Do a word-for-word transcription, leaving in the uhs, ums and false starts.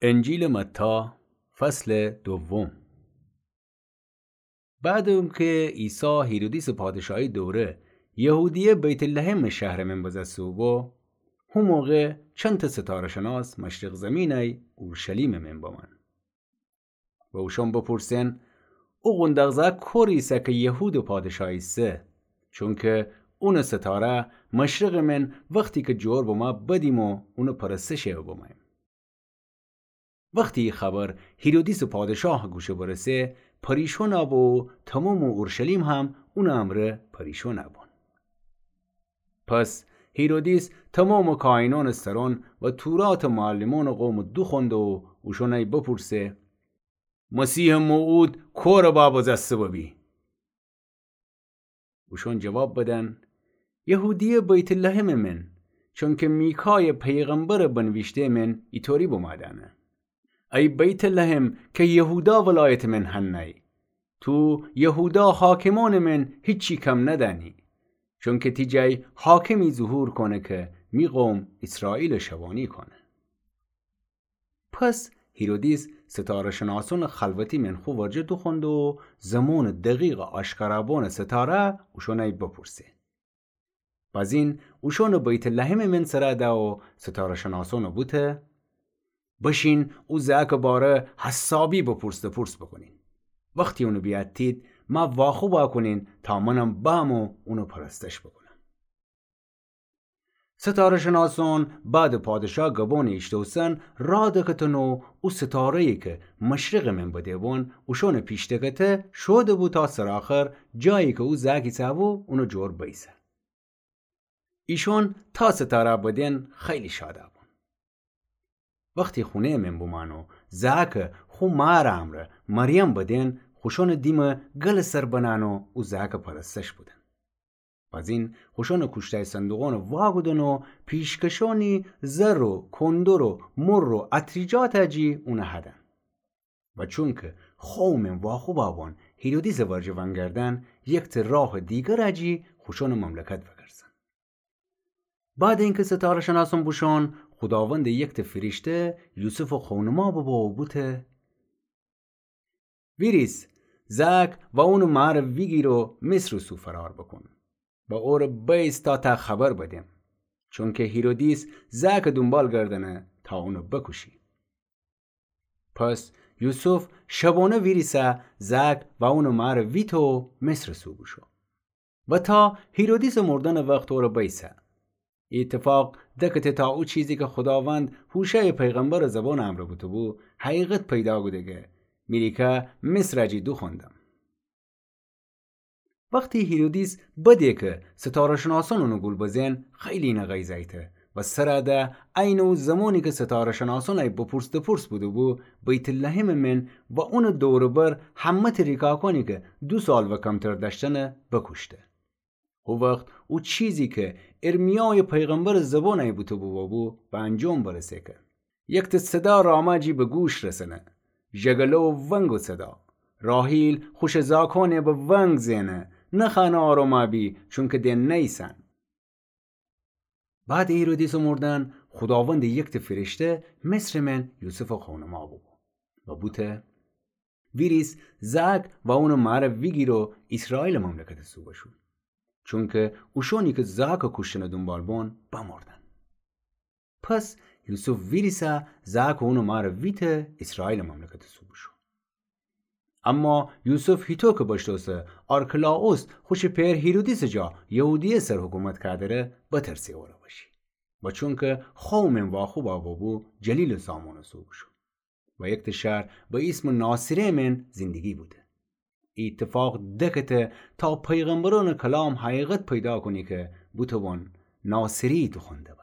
انجیلٚ متی، فصلٚ دوم. بعدٚ اونکه عیسی هیرودیسٚ پادشاهی دوره یهودیه بیت‌لحمٚ شهرٚ من بزسته بو، هو موقع چندتأ ستاره‌شناس مشرق زیمینه‌یی اورشلیمٚ من بمأن و اوشأن بپورسئن: او قونداق زأک کور ایسه کی یهودٚ پادشاه ایسه؟ چونکه اونٚ ستاره مشرقٚ من وختی کی جور بمه بدیمو اونٚ پرستشٚ بمأییم. وختی ای خبر هیرودیسٚ پادشاهٚ گوشه برسه، پریشان بو و تومامٚ اورشلیم هم اونٚ امرأ پریشان بون. پس هیرودیس تومامٚ کاهینأنٚ سرأن و توراتٚ معلمأنٚ قوم دوخوأنده و اوشأنأی بپورسه: مسیحٚ موعود کور با بزسته ببی؟ اوشأن جواب بدن: یهودیه بیت‌لحمٚ من، چونکه میکایٚ پیغمبرٚ بنویشته‌یٚ من ایطوری بمأ دأنه: ای بیت‌لحم کی یهودا ولایتٚ من هنه‌یی، تو یهودا حاکمأنٚ من هیچی کم ندأنی، چونکه تی جای حاکمی ظهور کونه کی می قوم ایسرائیل شبانی کونه. پس هیرودیس ستاره‌شناسأنٚ خلوتی من خو ورجه دوخوأنده و زمانٚ دقیقٚ آشکارا بونٚ ستاره اوشأنأی بپورسه. بزین اوشأنٚ بیت‌لحمٚ من سر ده و ستاره‌شناسأن بوته: بشین او زأکٚ باره حسابی بپرس دپرس بوکونین. وختی اونٚ بیأتید، مأ واخوب کونین تا منم بأم و اونٚ پرستش بوکونم. ستاره‌شناسأن بعدٚ پادشاه گبأنٚ ایشتوسن راه دکتن و او ستاره‌یی کی مشرقٚ من بده بون اوشأنٚ پیش دکته شوده بو تا سرٚ آخر جایی کی او زأک ایسه بو اونٚ جور بیسه. ایشأن تا ستاره بدن خیلی شاد بون. وختی خونه‌یٚ من بومأن و زأک خو مارٚ امرأ مریم بدن، خوشأنٚ دیم گلٚ سر بنأن و او زأک پرستش بودن. بزین خوشأنٚ کوشتای صندوقأن واکودن و پیشکشأنی زر و کندر و مر و عطریجات جی اون هدن. و چونکه خوو من واخوب بون هیرودیسٚ ورجه ونگردن، یکتأ راه دیگر جی خوشأنٚ مملکت وگرسن. بعدٚ اینکه ستاره‌شناسأن بوشون، خوداوندٚ یکتأ فیرشته یوسفٚ خونما ببو و بوته: ویریس، زأک و اونٚ مار ویگیر و مصرٚ سو فرار بوکون و اوره بیس تا تأ خبر بدم، چونکه هیرودیس زأکٚ دونبال گردنه تا اونٚ بکوشی. پس یوسف شبأنه ویریسه زأک و اونٚ مار ویته و مصرٚ سو بوشو و تا هیرودیسٚ مردنٚ وخت اوره بیسه. ای ایتفاق دکته تا او چیزی کی خوداوند هوشعیٚ پیغمبرٚ زبانٚ امرأ بوته‌بو، حقیقت پیدا کوده کی می ریکا مصر جی دوخوأندم. وختی هیرودیس بده کی ستاره‌شناسأن اونٚ گول بزن، خیلی اینه غیظ ایته و سر ده عینٚ او زمانی کی ستاره‌شناسأن ای بپرس دپرس بوده‌بو، بیت‌لحمٚ من و اونٚ دور و بر همه‌تأ ریکاکانی کی دو سال و کمتر دأشتنه بکوشته. هو وخت او چیزی کی ارمیایٚ پیغمبرٚ زبان ای بوته‌بو ببو، به انجام برسه کی یکتأ صدا راما جی به گوش رسنه، ژگله و ونگٚ صدا. راحیل خوشٚ زاکأنه به ونگ زئنه: نخوأنه آروما بی، چونکی دئن نیسن. بعدٚ هیرودیسٚ مردن، خوداوندٚ یکتأ فیرشته مصرٚ من یوسفٚ خونما ببو و بوته: ویریس، زأک و اونٚ مار ویگیر و ایسرائیلٚ مملکتٚ سو بشو، چونکی اوشأنی کی زأکٚ کوشتنٚ دونبال بون، بمردن. پس یوسف ویریسه زأک و اونٚ مار ویته ایسرائیلٚ مملکتٚ سو بشو. اما یوسف هیطو کی بشتوسه آرکلائوس خوشٚ پئر هیرودیسٚ جا یهودیه سر حکومت کودره، بترسه اوره بشی. و چونکی خوو من واخوب ببو، جلیلٚ سامونٚ سو بشو و یکتأ شهر به ایسمٚ ناصره من زندگی بوده. ای ایتفاق دکته تا پیغمبرأنٚ کلام حقیقت پیدا کونی کی بوته‌بون ناصری دوخوأنده به.